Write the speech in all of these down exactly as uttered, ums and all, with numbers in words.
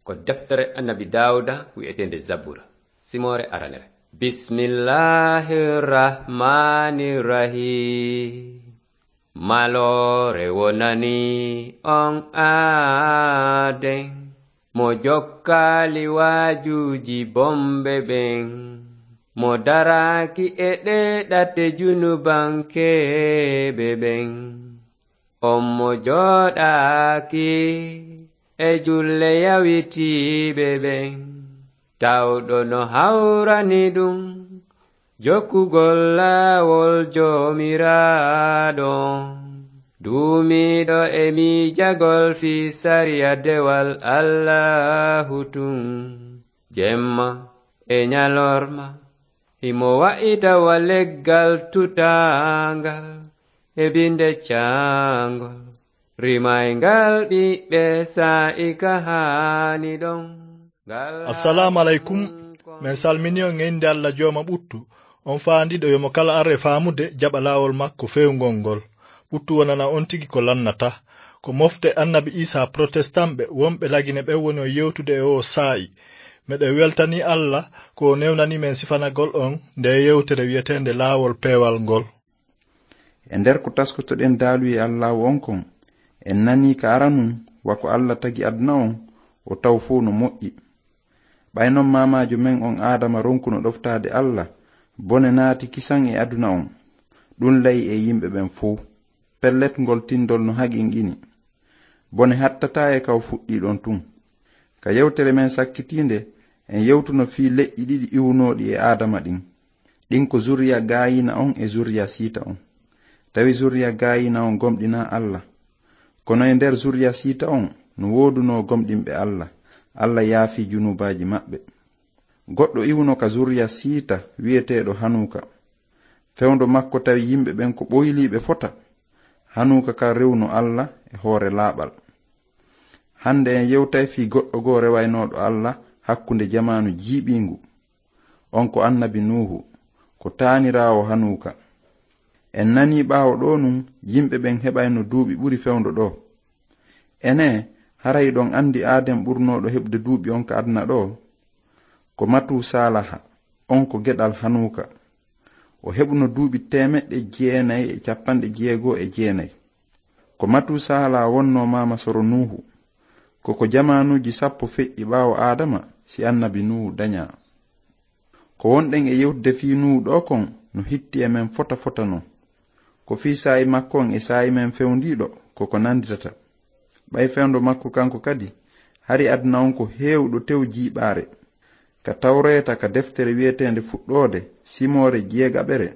Ko deftere Annabi Daawuda wi'eteende Zabura, simoore aranere. Bismillahir Rahmanir Rahim. Maloore wonani on aaden, mo jokkaali waajuuji bonɓe ɓen, mo daraaki e ɗee ɗate junubankeeɓe ɓen. On mo jooɗaaki e julle yawitiiɓe ɓen, tawɗo no hawrani ɗum jokkugol laawol Joomiraaɗo. Duumiiɗo e miijagol fii sariya dewal Allaahu tun, jemma e ɲalorma, himo wa'ita wa leggal tutaangal e binde caangol, rimayngal ɓiɓɓe saa'i ka haani ɗon. Ngal Assalaamu aleykum. Men salmini on e innde Alla Jooma ɓuttu, on faandiiɗo yo mo kala ar e faamude jaɓa laawol makko feewngol ngol. Ɓuttu wonana on tigi ko lannata. Ko mofte Annabi Iisaa Protestant ɓe wonɓe Lagine ɓen woni on yewtude e oo saa'i. Meɗen weltanii Alla ko o newnanii men sifanagol on ndee yewtere wi'eteende Laawol Peewal ngol. E nder ko taskotoɗen daaluye Allaahu on kon, en nanii ka aranun wa ko Alla tagi aduna on, o taw fow no moƴƴi. Ɓay non maamaajo men on Aadama ronkuno ɗoftaade Alla, bone naati kisan e aduna on. Ɗun layi e yimɓe ɓen fow. Pellet, ngol tindol no haqinqini. Bone hattataa e ka o fuɗɗii ɗon tun. Ka yewtere men sakkitiinde, en yewtuno fii leƴƴi ɗiɗi iwunooɗi e Aadama ɗin. Ɗin ko zurriya Gaayiina on e zurriya Siita on. Tawi zurriya Gaayiina on gomɗinaa Alla. Kono e nder zurriya Siita on, no woodunoo gomɗinɓe Alla. Alla yaafii junuubaaji maɓɓe. Goɗɗo iwuno ka zurriya Siita wi'eteeɗo Hanuuka. Fewndo makko tawi yimɓe ɓen ko ɓoyliiɓe fota. Hanuuka kan rewuno Alla e hoore laaɓal. Hande en yewtay fii goɗɗo goo rewaynooɗo Alla hakkunde jamaanu jiiɓiingu. On ko Annabi Nuuhu, ko taaniraawo Hanuuka. En nanii ɓaawo ɗoo nun yimɓe ɓen heɓayno duuɓi ɓuri fewndo ɗoo. Enee, hara hiɗon andi Aaden ɓurnooɗo heɓude duuɓi on ka aduna ɗoo? Ko Matusaalaha, on ko geɗal Hanuuka. O heɓuno duuɓi teemeɗɗe jeenay e cappanɗe jeego e jeenay. Ko Matusaalaha wonnoo maama soro Nuuhu. Ko ko jamaanuuji sappo feƴƴi ɓaawo Aadama si Annabi Nuuhu daɲaa. Ko wonɗen e yewtude fii Nuuhu ɗoo kon no hitti e men fota fota non. Ko fii saa'i makko on e saa'i men fewndiiɗo ko ko nanditata. Ɓay fewndo makko kanko kadi, hari aduna on ko heewuɗo tew jiiɓaare. Ka Tawreeta ka deftere wi'eteende Fuɗɗoode, simoore jeegaɓere,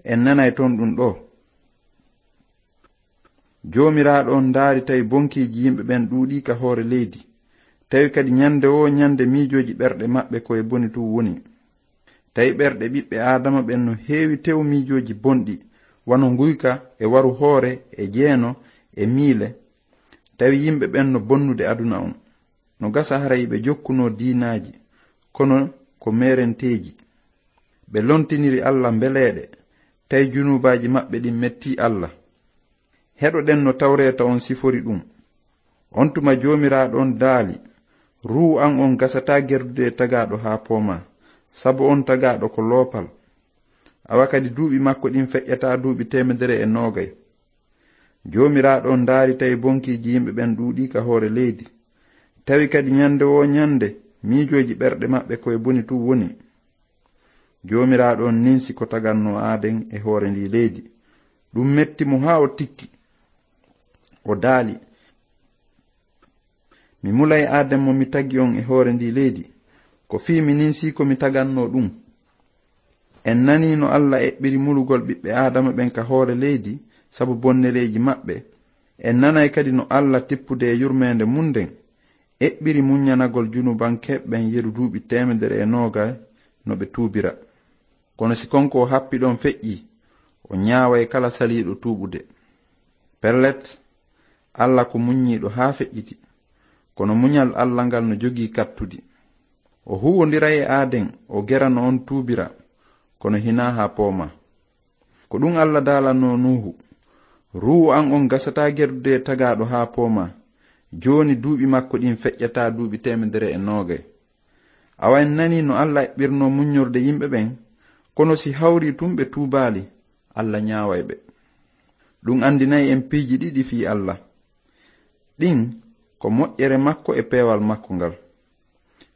en nanay ton ɗun ɗoo. Joomiraaɗo on ndaari tawi bonkiiji yimɓe ɓen ɗuuɗii ka hoore leydi. Tawi kadi ɲande woo ɲande miijooji ɓerɗe maɓɓe ko e boni tun woni. Tawi ɓerɗe ɓiɓɓe Aadama ɓen no heewi tew miijooji bonɗi, wano nguyka e waru hoore e jeeno e miile. Tawi yimɓe ɓen no bonnude aduna on. No gasa haray ɓe jokkunoo diinaaji, kono ko meerenteeji. Ɓe lontiniri Alla mbeleeɗe, tawi junuubaaji maɓɓe ɗin mettii Alla. Heɗoɗen no Tawreeta on sifori ɗun. On tuma Joomiraaɗo on daali, "Ruuhu an on gasataa gerdude e tagaaɗo haa poomaa, sabu on tagaaɗo ko loopal. Awa kadi duuɓi makko ɗin feƴƴataa duuɓi teemedere e noogay." Joomiraaɗo on ndaari tawi bonkiiji yimɓe ɓen ɗuuɗii ka hoore leydi. Tawi kadi ɲande woo ɲande, miijooji ɓerɗe maɓɓe ko e boni tun woni. Joomiraaɗo on ninsi ko tagannoo Aaden e hoore ndii leydi. Ɗun metti mo haa o tikki. O daali, "Mi mulay Aaden mo mi tagi on e hoore ndii leydi, ko fii mi ninsii ko mi tagannoo ɗun." En nanii no Alla eɓɓiri mulugol ɓiɓɓe Aadama ɓen ka hoore leydi sabu bonnereeji maɓɓe. En nanay kadi no Alla, tippude e yurmeende mun nden, eɓɓiri muɲɲanagol junubankeeɓe ɓen yeru duuɓi teemedere e noogay no ɓe tuubira. Kono si kon ko o happi ɗon feƴƴii, o ɲaaway kala saliiɗo tuuɓude. Pellet, Alla ko muɲɲiiɗo haa feƴƴiti, kono muɲal Alla ngal no jogii kattudi. O huuwondiray e Aaden, o gera no on tuubira, kono hinaa haa poomaa. Ko ɗun Alla daalannoo Nuuhu, "Ruuhu an on gasataa gerdude e tagaaɗo haa poomaa, Jooni duuɓi makko ɗin feƴƴataa duuɓi teemedere e noogay. Awa en nanii no Alla eɓɓirnoo muññorde yimɓe ɓen, kono si hawrii tun ɓe tuubaali, Alla ñaaway ɓe. Ɗun anndinay en piiji ɗiɗi fii Alla. Ɗin ko moƴƴere makko e peewal makko ngal.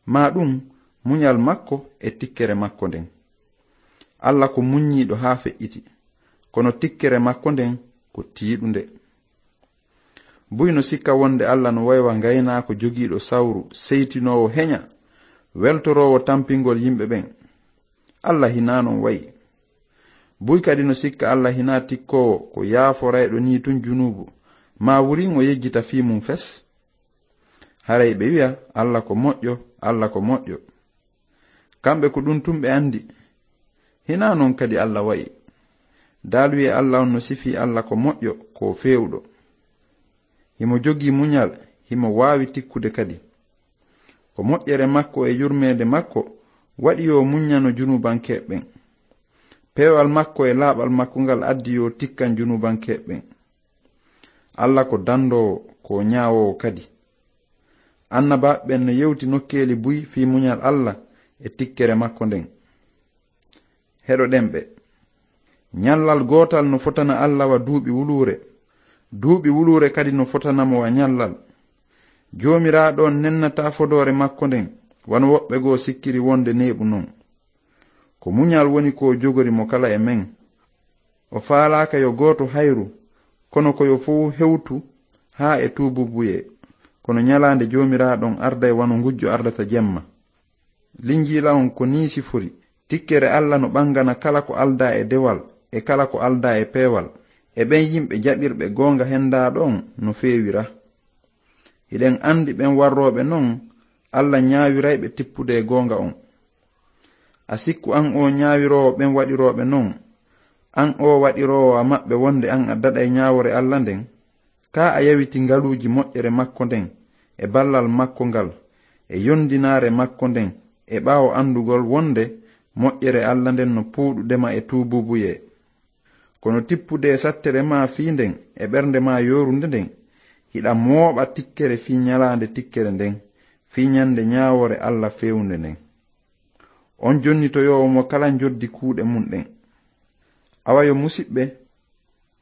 Maa ɗun, muñal makko e tikkere makko nden. Alla ko muññiiɗo haa feƴƴiti, kono tikkere makko nden ko tiiɗunde. Buy no sikka wonde Alla no way wa ngaynaako jogiiɗo sawru, seytinoowo heña, weltoroowo tampingol yimɓe ɓen. Alla hinaa non wa'i. Buy kadi no sikka Alla hinaa tikkoowo ko yaaforayɗo nii tun junuubu, maa wurin o yejjita fii mun fes. Haray ɓe wi'a, "Alla ko moƴƴo, Alla ko moƴƴo." Kamɓe ko ɗun tun ɓe anndi. Hinaa non kadi Alla wa'i. Daaluyee Alla on no sifii Alla ko moƴƴo, ko feewuɗo. Himo jogii muñal, himo waawi tikkude kadi. Ko moƴƴere makko e yurmeende makko waɗi yo muññano junuubankeeɓe ɓen. Peewal makko e laaɓal makko ngal addi yo tikkan junuubankeeɓe ɓen. Alla ko dandoowo, ko ñaawoowo kadi. Annabaaɓe ɓen no yewti nokkeeli buy fii muñal Alla e tikkere makko nden. Heɗoɗen ɓe. Ñallal gootal no fotana Alla wa duuɓi wuluure. Duuɓi wuluure kadi no fotana mo wa ñallal. Joomiraaɗo on nennataa fodoore makko nden, wano woɓɓe goo sikkiri wonde neeɓu non. Ko muñal woni ko jogori mo kala e men. O faalaaka yo gooto hayru, kono ko yo fow hewtu haa e tuubuubuyee. Kono ñalaande Joomiraaɗo on arday wano ngujjo ardata jemma. Linjiila on ko nii sifori, tikkere Alla no ɓangana kala ko aldaa e dewal e kala ko aldaa e peewal, e ɓen yimɓe jaɓirɓe goonga hendaaɗo on no feewira. Hiɗen anndi ɓen warrooɓe non, Alla ñaawiray ɓe tippude e goonga on. A sikku an oo ñaawiroowo ɓen waɗirooɓe non, an oo waɗiroowo a maɓɓe wonde an a daɗay ñaawore Alla nden? Kaa a yawiti ngaluuji moƴƴere makko nden, e ballal makko ngal, e yondinaare makko nden, e ɓaawo anndugol wonde moƴƴere Alla nden no puuɗude ma e tuubuubuyee. Kono tippude e sattere maa fii nden, e ɓernde maa yoorunde nden, hiɗa mooɓa tikkere fii ñalaande tikkere nden, fii ñande ñaawore Alla feewunde nden. On jonnitoyoowo mo kala njoddi kuuɗe mun ɗen. Awa yo musiɓɓe,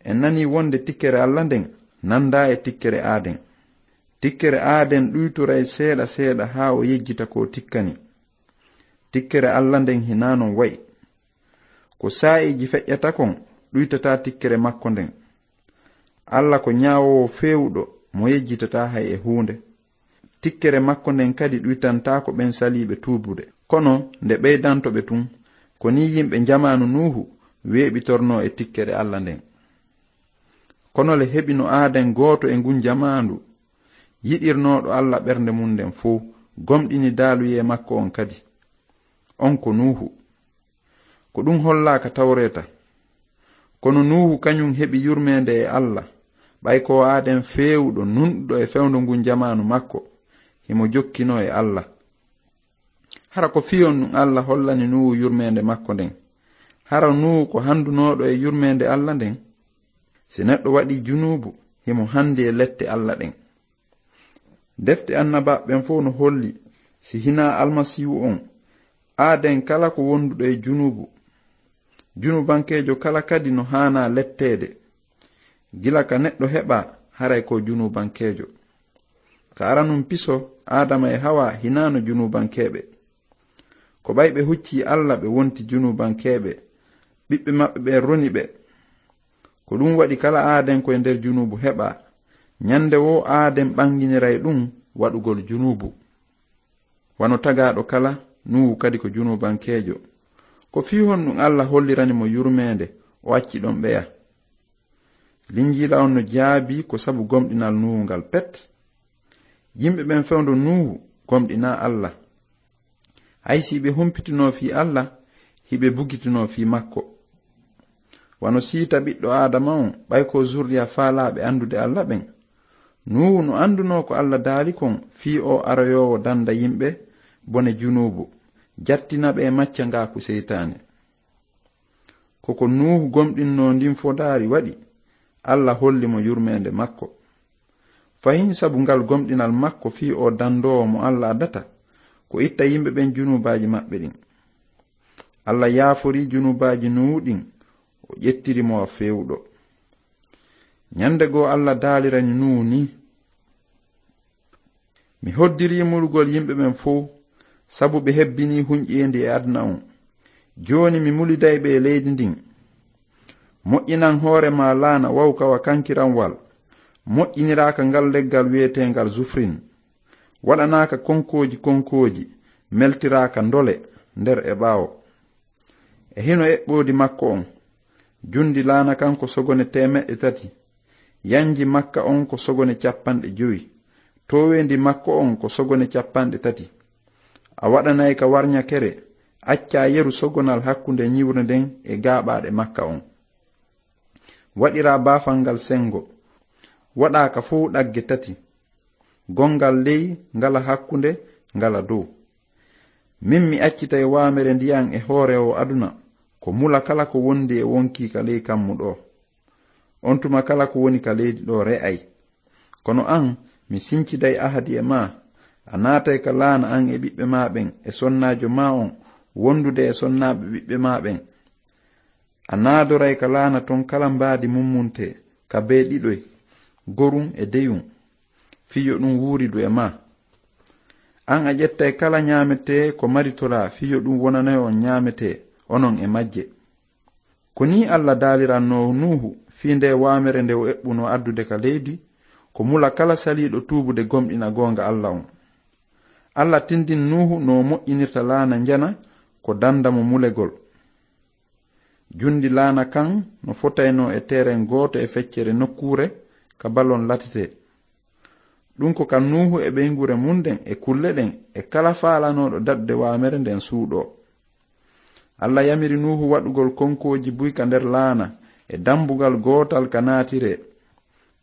en nanii wonde tikkere Alla nden nandaa e tikkere aaden. Tikkere aaden ɗuytoray seeɗa seeɗa haa o yejjita ko tikkani. Tikkere Alla nden hinaa non wa'i. Ko saa'iiji feƴƴata kon ɗuytataa tikkere makko nden. Alla ko ñaawoowo feewuɗo mo yejjitataa hay e huunde. Tikkere makko nden kadi ɗuytantaako ɓen saliiɓe tuubude. Kono nde ɓeydanto ɓe tun, ko nii yimɓe jamaanu Nuuhu weeɓitornoo e tikkere Alla nden. Kono le heɓino aaden gooto e ngun jamaandu, yiɗirnooɗo Alla ɓernde mun nden fow, gomɗini daaluyee makko on kadi. On ko Nuuhu. Ko ɗun hollaaka Tawreeta. Kono Nuuhu kañun heɓi yurmeende e Alla, ɓay ko aaden feewuɗo nunɗuɗo e fewndo ngun jamaanu makko, himo jokkinoo e Alla. Hara ko fii honɗun Alla hollani Nuuhu yurmeende makko nden? Hara Nuuhu ko handunooɗo e yurmeende Alla nden? Si neɗɗo waɗii junuubu, himo handi e lette Alla ɗen. Defte annabaaɓe ɓen fow no holli, si hinaa Almasiihu on, aaden kala ko wonduɗo e junuubu. Junuubankeejo kala kadi no haanaa letteede. Gila ka neɗɗo heɓaa, haray ko junuubankeejo. Ka aranun piso, Aadama e Hawaa hinaano junuubankeeɓe. Ko ɓay ɓe huccii Alla, ɓe wonti junuubankeeɓe, ɓiɓɓe maɓɓe ɓen roni ɓe. Ko ɗun waɗi kala aaden ko e nder junuubu heɓaa. Ñande woo aaden ɓanginiray ɗun waɗugol junuubu. Wano tagaaɗo kala, Nuuhu kadi ko junuubankeejo. Ko fii honɗun Alla hollirani mo yurmeende, o acci ɗon ɓeya? Linjiila on no jaabii ko sabu gomɗinal Nuuhu ngal pet. Yimɓe ɓen fewndo Nuuhu gomɗinaa Alla. Hay si ɓe humpitinoo fii Alla, hiɓe bugitinoo fii makko. Wano siita ɓiɗɗo Aadama on, ɓay ko zurriya faalaaɓe anndude Alla ɓen. Nuuhu no anndunoo ko Alla daali kon fii o aroyoowo danda yimɓe bone junuubu, jattina ɓe e maccangaaku seytaane. Ko ko Nuuhu gomɗinnoo ndin fodaari waɗi, Alla holli mo yurmeende makko. Fahin sabu ngal gomɗinal makko fii o dandoowo mo Alla addata, ko itta yimɓe ɓen junuubaaji maɓɓe ɗin. Alla yaaforii junuubaaji Nuuhu ɗin, o ƴettiri mo wa feewuɗo. Ñande goo Alla daalirani Nuuhu nii: Mi hoddirii mulugol yimɓe ɓen fow, sabu ɓe hebbinii hunƴeendi e aduna on. Jooni mi muliday ɓe e leydi ndin. Moƴƴinan hoore maa laana wawka wa kankiranwal, moƴƴiniraaka ngal leggal wi'eteengal zufrin. Waɗanaaka konkooji konkooji, meltiraaka ndole nder e ɓaawo. E hino eɓɓoodi makko on, jundi laana kan ko sogone teemeɗɗe tati, yanji makka on ko sogone cappanɗe jowi, tooweendi makko on ko sogone cappanɗe tati. A waɗanay ka warñakere, accaa yeru sogonal hakkunde ñiwre nden e gaaɓaaɗe makka on. Waɗiraa baafal ngal sengo, waɗaa ka fow ɗagge tati, gongal ley, ngala hakkunde, ngala dow. Min mi accitay waamere ndiyan e hoore oo aduna, ko mula kala ko wondi e wonkii ka ley kammu ɗoo. On tuma kala ko woni ka leydi ɗoo re'ay. Kono an, mi sinciday ahadi e maa, a naatay ka laana an e ɓiɓɓe maa ɓen e sonnaajo maa on wondude e sonnaaɓe ɓiɓɓe maa ɓen. A naadoray ka laana ton kala mbaadi mummunte, ka bee ɗiɗoy, gorun e deyun, fii yo ɗun wuuridu e maa. An a ƴettay kala ñaametee ko maritoraa fii yo ɗun wonane on ñaametee, onon e majje. Ko nii Alla daalirannoo Nuuhu fii ndee waamere nde o eɓɓunoo addude ka leydi, ko mula kala saliiɗo tuubude gomɗina goonga Alla on. Alla tindin Nuuhu no o moƴƴinirta laana njana ko danda mo mulegol. Jundi laana kan no fotaynoo e teeren gooto e feccere nokkuure ka balon latetee. Ɗun ko ka Nuuhu e ɓeynguure mun nden e kulle ɗen e kala faalanooɗo daɗde waamere nden suuɗoo. Alla yamiri Nuuhu waɗugol konkooji buy ka nder laana e dambugal gootal ka naatiree.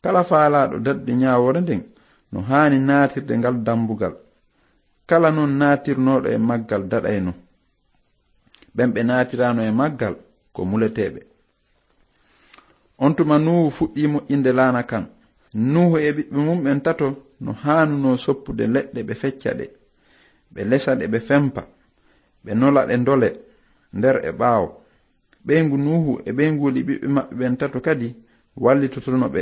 Kala faalaaɗo daɗde ñaawoore nden no haani naatirde ngal dambugal. Kala non naatirnooɗo e maggal daɗayno. Ɓen ɓe naatiraano e maggal ko muleteeɓe. On tuma Nuuhu fuɗɗii moƴƴinde laana kan. Nuuhu e ɓiɓɓe mun ɓen tato no haanunoo soppude leɗɗe ɓe fecca ɗe, ɓe lesa ɗe ɓe fempa, ɓe nola ɗe ndole nder e ɓaawo. Ɓeyngu Nuuhu e ɓeynguuli ɓiɓɓe maɓɓe ɓen tato kadi wallitotono ɓe.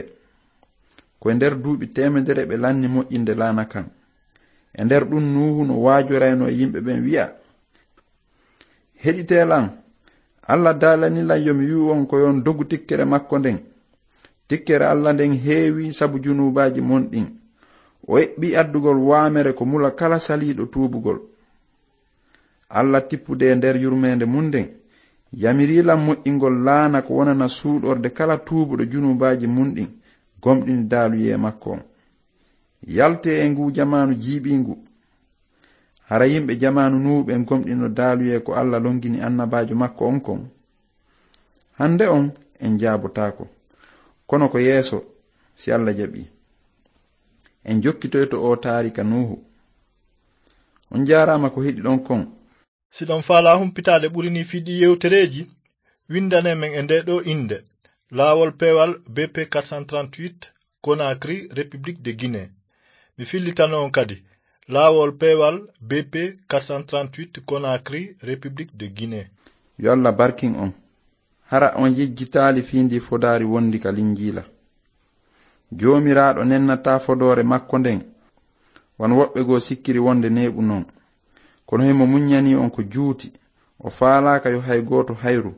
Ko e nder duuɓi teemedere ɓe lanni moƴƴinde laana kan. E nder ɗun Nuuhu no waajoraynoo e yimɓe ɓen wi'a: Heɗitee lan, Alla daalani lan yo mi wi'u on ko yo on dogu tikkere makko nden. Tikkere Alla nden heewii sabu junuubaaji mon ɗin. O eɓɓii addugol waamere ko mula kala saliiɗo tuubugol. Alla tippude e nder yurmeende mun nden, yamirii lan moƴƴingol laana ko wonana suuɗorde kala tuubuɗo junuubaaji mun ɗin, gomɗini daaluyee makko on. Yaltee e nguu jamaanu jiiɓiingu. Hara yimɓe jamaanu Nuuhu ɓen gomɗino daaluyee ko Alla longini annabaajo makko on kon? Hande on en jaabotaako, kono ko yeeso, si Alla jaɓii. En jokkitoyto oo taarika Nuuhu. On jaaraama ko heɗiɗon kon. Si ɗon faalaa humpitaade ɓuri nii fii ɗii yewtereeji, windanee men e ndee ɗoo innde: Laawol Peewal B P quatre cent trente-huit, Conakry, République de Guinée. Mi fillitano on kadi: Laawol Peewal B P quatre cent trente-huit, Conakry, République de Guinée. Yo Alla barkin on. Hara on yejjitaali fii ndii fodaari wondi ka Linjiila. Joomiraaɗo nennataa fodoore makko nden, wano woɓɓe goo sikkiri wonde neeɓu non. Kono himo muññanii on ko juuti, o faalaaka yo hay gooto hayru,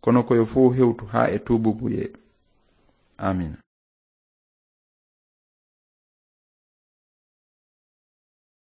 kono ko yo fow hewtu haa e tuububuyee. Aamiina.